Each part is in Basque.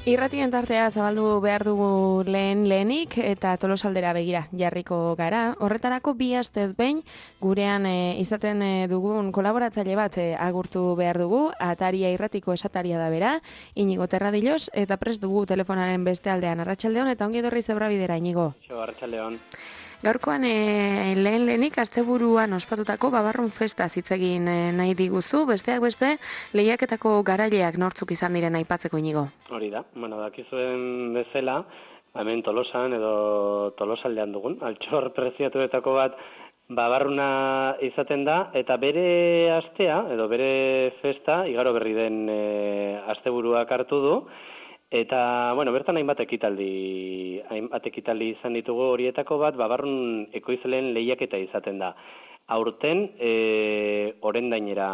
Irratien tartea zabaldu behar dugu lehenik eta Tolosaldera begira jarriko gara. Horretarako bi astez behin gurean izaten dugun kolaboratzaile bat agurtu behar dugu. Ataria irratiko esataria da bera, Inigo Terradillos, eta prest dugu telefonaren beste aldean. Arratsaldeon eta ongi etorri Zebrabidera, Inigo. Arratsaldeon. Gaurkoan lehenik asteburuan ospatutako Babarrun festa hitz egin nahi diguzu, besteak beste lehiaketako garaileak nortzuk izan diren aipatzeko, Inigo. Hori da, dakizuen bezala, hemen Tolosan edo Tolosaldean dugun, altxor preziatuetako bat Babarruna izaten da, eta bere astea, edo bere festa, igaro berri den asteburuak hartu du, eta, bertan hainbat ekitaldi izan ditugu horietako bat, Babarrun ekoizleen lehiaketa izaten da. Aurten, orendainera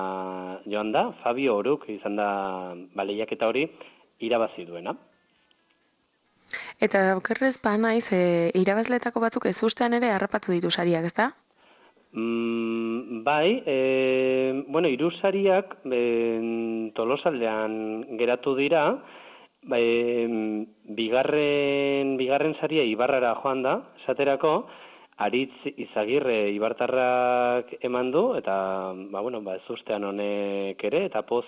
joan da, Fabio Oruk izan da lehiaketa hori irabazi duena. Eta okerrez naiz, irabazletako batzuk ez ustean ere harrapatu ditu sariak, ez da? Bai, hiru sariak Tolosaldean geratu dira, bigarren saria Ibarrara joan da, esaterako, Aritz Izagirre Ibartarrak eman du, eta ez ustean honek ere, eta poz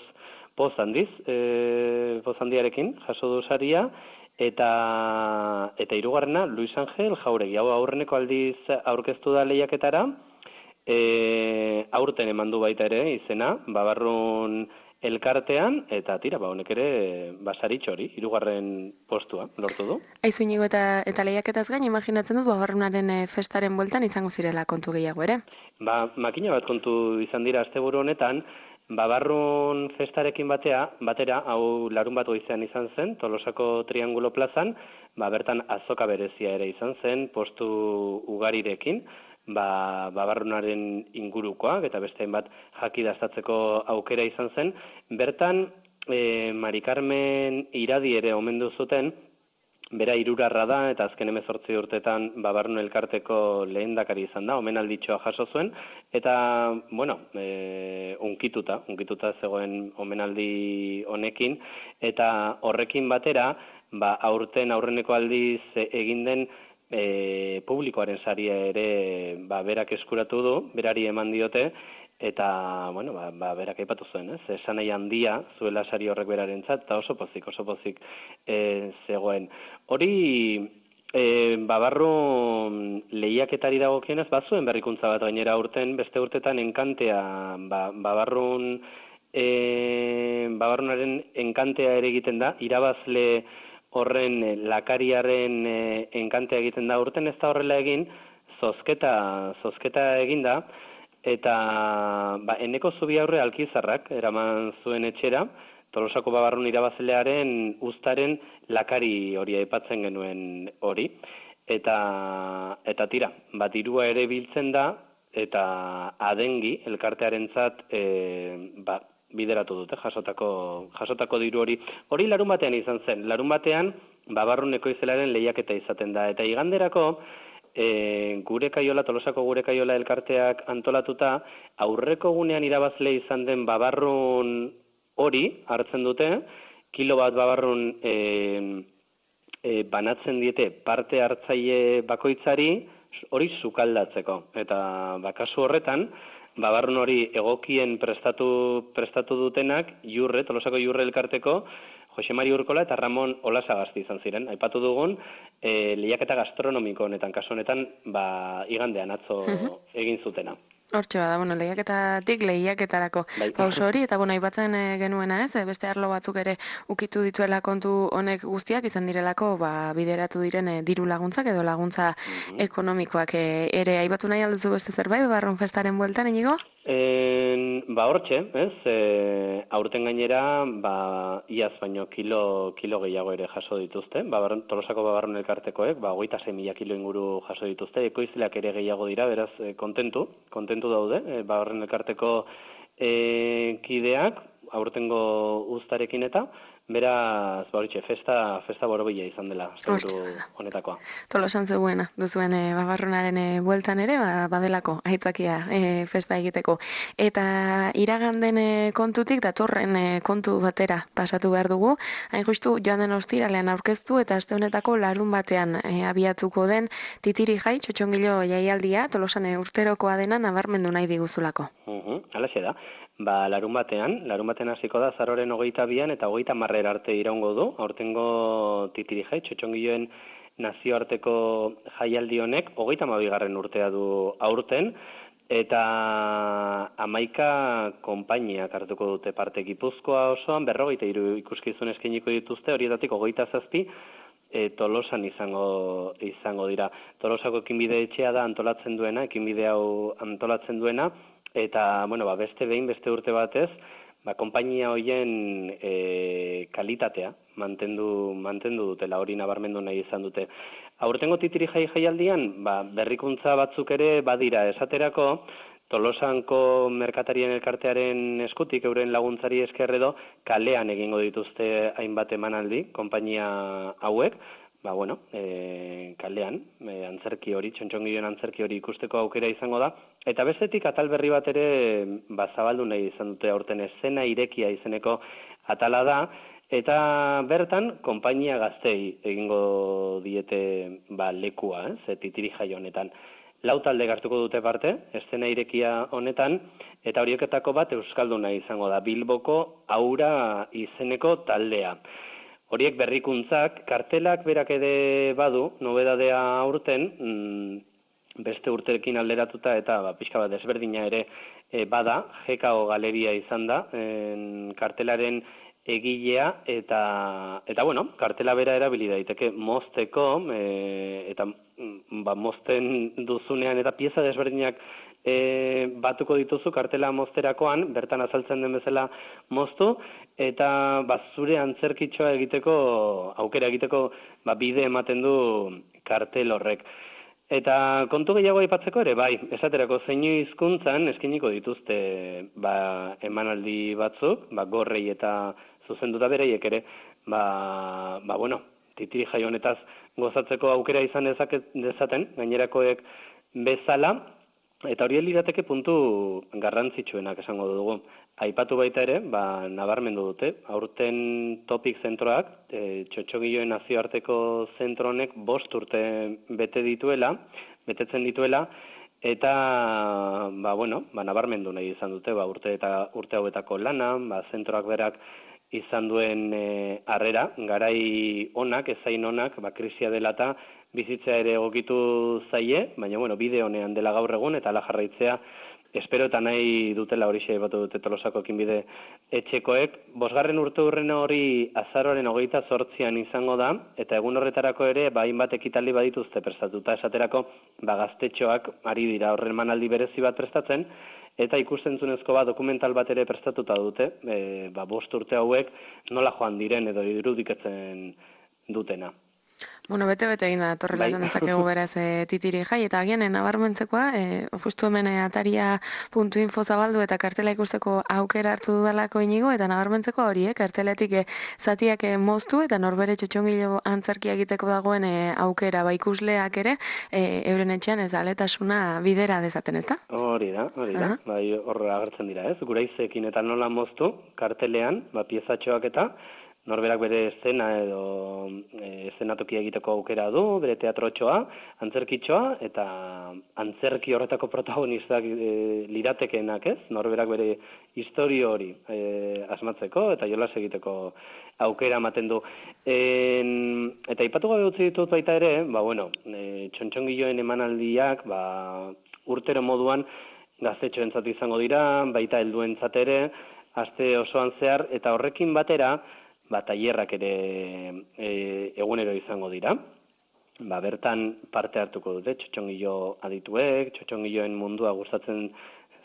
handiarekin jaso du saria, eta hirugarrena Luis Angel Jauregi, hau aurreneko aldiz aurkeztu da lehiaketara, aurten eman du baita ere izena, Babarrun elkartean, eta tira, honek ere basaritxo hori, hirugarren postua lortu du. Aizu, Inigo, eta lehiaketaz gain, imaginatzen dut Babarrunaren festaren bueltan izango zirela kontu gehiago ere? Makina bat kontu izan dira asteburu honetan, Babarrun festarekin batera, hau larun bat goizean izan zen, Tolosako Triangulo plazan, bertan azoka berezia ere izan zen, postu ugarirekin, Babarrunaren ingurukoak, eta beste bat jakidaztatzeko aukera izan zen. Bertan, Mari Carmen Iradi ere omendu zuten, bera hirurarra da, eta azken 18 urtetan Babarrun elkarteko lehendakari izan da, omenalditxoa jaso zuen, eta, unkituta zegoen omenaldi honekin, eta horrekin batera, aurreneko aldiz egin den publikoaren saria ere berak eskuratu du, berari eman diote, eta, berak aipatu zuen, esanai handia zuela sari horrek berarentzat, eta oso pozik zegoen. Hori, Babarrun lehiaketari dagokienez, bazuen berrikuntza bat gainera aurten, beste urtetan enkantea, Babarrunaren enkantea ere egiten da, irabazle horren lakariaren enkantea egiten da, urten ez da horrela egin, zozketa egin da, eta eneko zubi aurre Alkizarrak eraman zuen etxera, Tolosako Babarrun irabazlearen uztaren lakari hori aipatzen genuen hori. Eta tira, dirua ere biltzen da, eta adengi elkartearentzat bideratu dute, jasotako diru hori. Hori larun batean izan zen. Larun batean, Babarrun ekoizlearen lehiaketa izaten da. Eta iganderako, Tolosako Gure Kaiola elkarteak antolatuta, aurreko gunean irabazle izan den Babarrun hori hartzen dute, kilo bat Babarrun banatzen diete parte hartzaile bakoitzari, hori sukaldatzeko. Eta kasu horretan, Babarrun hori egokien prestatu dutenak, Tolosako Jurre elkarteko, Jose Mari Urkola eta Ramon Olasagasti izan ziren. Aipatu dugun, lehiaketa gastronomiko honetan, kasu honetan, igandean atzo egin zutena. Hortxe bada, lehiaketatik lehiaketarako pauso hori, eta aipatzen genuena ez, beste arlo batzuk ere ukitu dituela kontu honek guztiak izan direlako, bideratu diren diru laguntzak edo laguntza ekonomikoak ere. Aipatu nahi alduzu beste zerbait, Babarrun festaren bueltan, Inigo? Hortxe, ez, aurten gainera, iaz baino kilo gehiago ere jaso dituzte, Tolosako Babarrun elkartekoek, 26.000 kilo inguru jaso dituzte, ekoizleak ere gehiago dira, beraz, kontentu daude, Babarrun elkarteko kideak, aurtengo uztarekin eta, beraz, horitxe, festa borobila izan dela, asteburu honetakoa. Tolosan zegoena, duzuen babarrunaren bueltan ere, badelako, aitzakia festa egiteko. Eta iraganden kontutik, datorren kontu batera pasatu behar dugu, hain justu joan den ostiralean aurkeztu eta aste honetako larun batean abiatuko den Titiri Jai txotxongilo jaialdia, Tolosan urterokoa dena nabarmendu nahi diguzulako. Halaxe da. Larun batean hasiko da azaroaren 22an eta 30 arte iraungo du, aurtengo Titiri Jai, txotxongiloen nazioarteko jaialdi honek 32. urtea du aurten, eta 11 konpainiak hartuko dute parte. Gipuzkoa osoan 43 ikuskizun eskainiko dituzte, horietatik 27 Tolosan izango dira. Tolosako ekinbide etxea da antolatzen duena, ekinbide hau antolatzen duena, eta, beste urte batez, konpainia hoien kalitatea mantendu dutela, hori nabarmendu nahi izan dute. Aurtengo Titiri Jai jaialdian, berrikuntza batzuk ere badira, esaterako, Tolosanko merkatarien elkartearen eskutik, euren laguntzari esker edo, kalean egingo dituzte hainbat emanaldi, konpainia hauek, kalean, antzerki hori, txontxongiloen antzerki hori ikusteko aukera izango da, eta bestetik atal berri bat ere zabaldu nahi izan dute aurten eszena irekia izeneko atala da, eta bertan konpainia gaztei egingo diete lekua, Titiri Jai honetan. 4 talde hartuko dute parte, eszena irekia honetan, eta horieketako bat euskalduna izango da, Bilboko Aura izeneko taldea. Horiek berrikuntzak, kartelak berak ere badu, nobedadea aurten, beste urterekin alderatuta eta pixka bat desberdina ere bada, GKO Galeria izan da, kartelaren egilea, eta kartela bera erabili daiteke mozteko, eta mozten duzunean eta pieza desberdinak batuko dituzu kartela mozterakoan, bertan azaltzen den bezala moztu, eta zure antzerkitxoa egiteko, aukera egiteko bide ematen du kartel horrek. Eta kontu gehiago aipatzeko ere, esaterako zeinu hizkuntzan eskainiko dituzte emanaldi batzuk, gorrei eta zuzenduta bereiek ere, Titiri Jai honetaz gozatzeko aukera izan dezaten, gainerakoek bezala, eta hori lirateke puntu garrantzitsuenak esango dugu. Aipatu baita ere, nabarmendu dute, aurten topik zentroak, txotxongiloen nazioarteko zentro honek 5 urte betetzen dituela, eta, nabarmendu nahi izan dute, urte hauetako lana, zentroak berak izan duen harrera, garai onak, ezain onak, krisia dela eta bizitzea ere egokitu zaie, baina, bide honean dela gaur egun, eta ala jarraitzea, espero eta nahi dutela horixe aipatu dute Tolosako ekinbide etxekoek. 5. urteurrena hori azaroaren 28an izango da, eta egun horretarako ere, hainbat ekitaldi badituzte prestatuta, esaterako, gaztetxoak ari dira horren emanaldi berezi bat prestatzen, eta ikustentzunezko dokumental bat ere prestatuta dute, 5 urte hauek nola joan diren edo irudikatzen dutena. Bete egin da, torrela esan dezakegu beraz Titiri Jai, eta agian nabarmentzekoa, justu hemen ataria.info zabaldu eta kartela ikusteko aukera hartu dudalako inigo, eta nabarmentzekoa hori, karteletik zatiak moztu eta norbere txotxongilo antzerkia egiteko dagoen aukera, ikusleak ere, euren etxean ez aletasuna bidera dezaten, ezta? Hori da, horra agertzen dira, ez? Guraizekin eta nola moztu, kartelean, piezatxoak eta, norberak bere eszena edo eszenatokia egiteko aukera du, bere teatrotxoa, antzerkitxoa, eta antzerki horretako protagonistak liratekenak, ez? Norberak bere historio hori asmatzeko eta jolas egiteko aukera ematen du. Eta ipatu gabe utzi ditut baita ere, txontxongiloen emanaldiak, urtero moduan gaztetxoentzat izango dira, baita helduentzat ere, aste osoan zehar, eta horrekin batera, tailerrak ere egunero izango dira. Bertan parte hartuko dute, txotxongilo adituek, txotxongiloen mundua gustatzen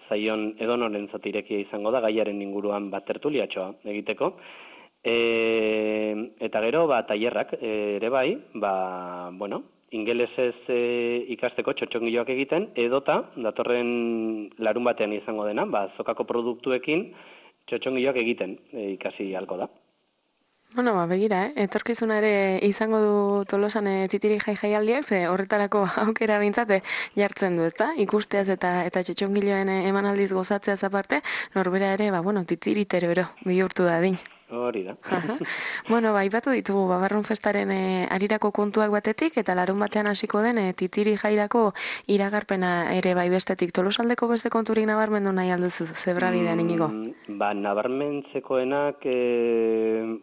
zaion edonorentzat irekia izango da, gaiaren inguruan tertuliatxoa egiteko. Eta gero, tailerrak ere bai, ingelesez ikasteko txotxongiloak egiten, edota, datorren larun batean izango dena, zokako produktuekin, txotxongiloak egiten ikasi halko da. Bueno, begira, etorkizuna ere izango du Tolosan titiri jaialdiak, ze horretarako aukera bintzate jartzen du, ezta? Ikusteaz eta txotxongiloen emanaldiz gozatzeaz aparte, norbera ere, titiritero bihurtu da din. Hori da. Bueno, aipatu ditugu Babarrun festaren arirako kontuak batetik, eta larun batean hasiko den titiri jairako iragarpena ere bestetik. Tolosaldeko beste konturik nabarmendu nahi alduzu, zebra bidean inigo? Nabarmentzekoenak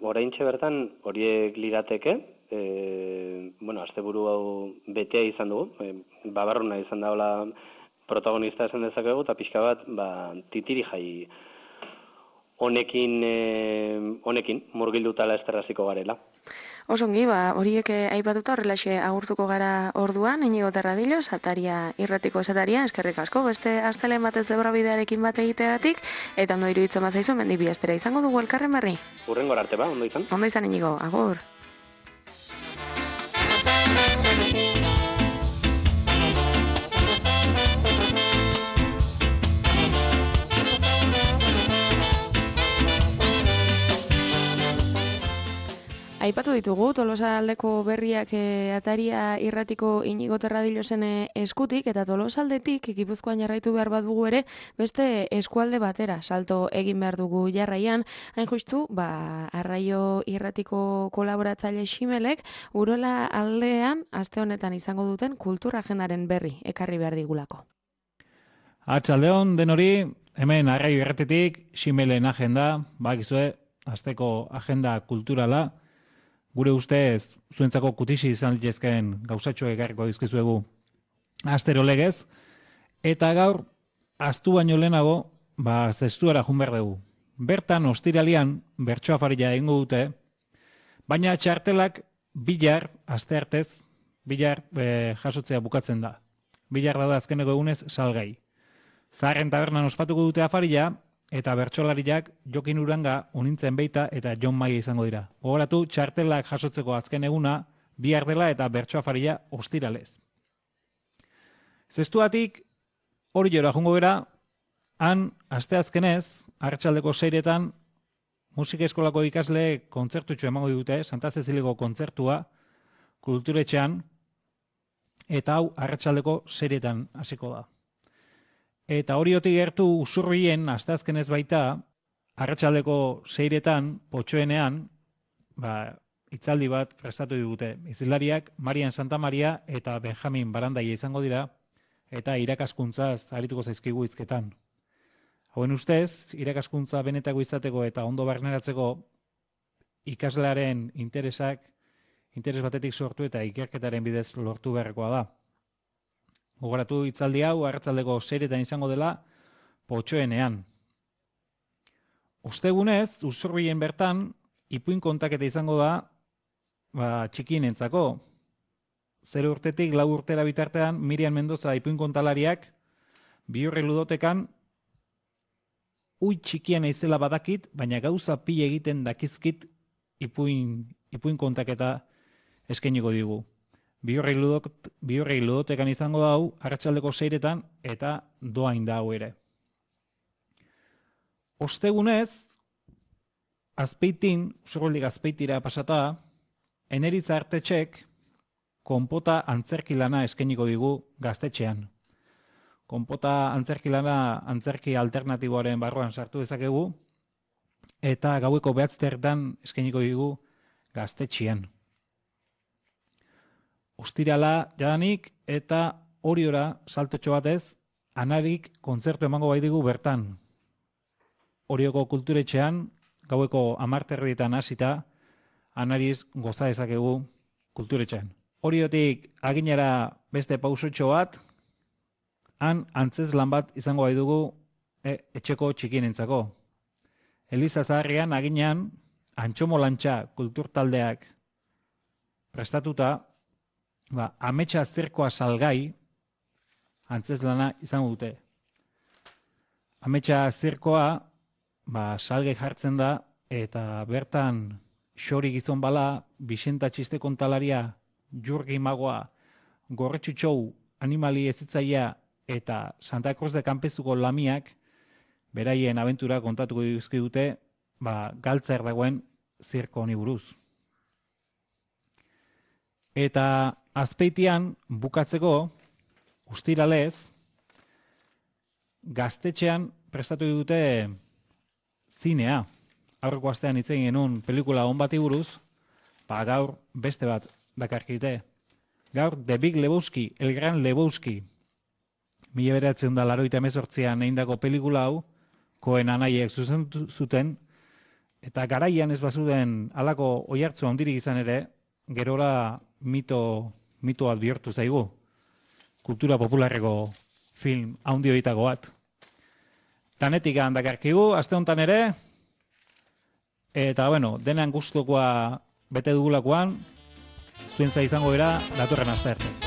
oraintxe bertan horiek lirateke, asteburu hau betea izan dugu, Babarruna izan daula protagonista esan dezakegu, eta pixka bat, titiri jai honekin murgildutala esterraziko garela. Osongi, horiek aipatuta horrelaxe agurtuko gara orduan, Inigo Terradillos, Ataria irratiko esataria, eskerrik asko, beste astelen batez Debra bidearekin bat egiteagatik, eta ondo iruditzen bazaizu, mendi bi astera izango dugu elkarren berri. Hurrengora arte ondo izan? Ondo izan, Inigo, agur. Aipatu ditugu, Tolosaldeko berriak Ataria irratiko Inigo Terradillosen eskutik, eta Tolosaldetik Gipuzkoan jarraitu behar bat dugu ere, beste eskualde batera salto egin behar dugu jarraian, hain justu, Arraio irratiko kolaboratzaile Ximelek, Urola aldean, aste honetan izango duten kultura agendaren berri, ekarri behar digulako. Atxaldeon denori, hemen Arraio irratitik, Ximelen agenda, bakizue, asteko agenda kulturala, gure ustez, zuentzako kutixi izan litezkeen gauzatxo egarriko dizkizuegu astero legez, eta gaur, astu baino lehenago, zestuara jun behar dugu. Bertan, ostiralian, bertsoa farila egingo dute, baina txartelak bilar, aste artez, bilar jasotzea bukatzen da. Bilar da azkeneko egunez salgai. Zaharren tabernan ospatuko dute afarila, eta bertsolariak Jokin Uranga, Unintzen Beita eta Jon Maia izango dira. Gogoratu, txartelak jasotzeko azken eguna, bihar dela eta bertso afarila ostiralez. Zestuatik, hori jora jungo gera, han, asteazkenez, arratsaldeko 6etan, musika eskolako ikasle kontzertutxo emango dute, Santa Ceciliko kontzertua, kulturetxean, eta hau arratsaldeko 6etan hasiko da. Eta horiotik gertu Usurbien, asteazkenez baita, arratsaldeko 6etan, potxoenean, hitzaldi bat prestatu digute. Izilariak Marian Santa Maria eta Benjamin Barandaia izango dira, eta irakaskuntzaz arituko zaizkigu hizketan. Hauen ustez, irakaskuntza benetako izateko eta ondo barneratzeko ikaslearen interes batetik sortu eta ikerketaren bidez lortu beharrekoa da. Gogoratu hitzaldi hau arratsaldeko 6etan izango dela potxoenean. Ostegunez, Usurbien bertan, ipuin kontaketa izango da txikienentzako. 0 urtetik 4 urtera bitartean, Miriam Mendoza ipuin kontalariak Bihurri ludotekan txikian naizela badakit, baina gauza pila egiten dakizkit ipuin kontaketa eskainiko digu. Bihurri ludotekan izango da hau, arratsaldeko 6etan eta doain da hau ere. Ostegunez, Azpeitin, Usurbildik Azpeitira pasata, Eneritza Artetxek konpota antzerki lana eskainiko digu gaztetxean. Konpota antzerki lana antzerki alternatiboaren barruan sartu dezakegu, eta gaueko 9 eskainiko digu gaztetxean. Ostirala jadanik eta Oriora saltotxo batez, Anarik kontzertu emango baitigu bertan. Orioko kulturetxean, gaueko 10:30 hasita, Anariz goza dezakegu kulturetxean. Oriotik aginara beste pausotxo bat, han antzezlan bat izango baitugu etxeko txikienentzako. Eliza Zaharrian aginean Antxomolantxa kulturtaldeak prestatuta, ametsa zirkoa salgai antzezlana izango dute. Ametsa zirkoa salgai jartzen da eta bertan xori gizon bala, Bixenta txiste kontalaria, Jurgi Magoa, Gorretxutxou animali ezitzaia eta Santa Cruz de Campezuko lamiak beraien abentura kontatuko dizkigute, galtzer dagoen zirko honi buruz. Eta Azpeitian bukatzeko, ustiralez, Gaztetxean prestatu dute zinea. Aurreko astean hitz egin genuen pelikula on bati buruz, gaur beste bat dakarkite. Gaur The Big Lebowski, El Gran Lebowski, 1988an egindako pelikula hau, Coen anaiek zuzendu zuten, eta garaian ez bazuden halako oihartzu handirik izan ere, gerora mito bat bihurtu zaigu. Kultura popularreko film handi horietako bat. Tanetik dakarkigu, aste honetan ere, eta denean gustukoa bete dugulakoan, zuen izango gara datorren aste arte.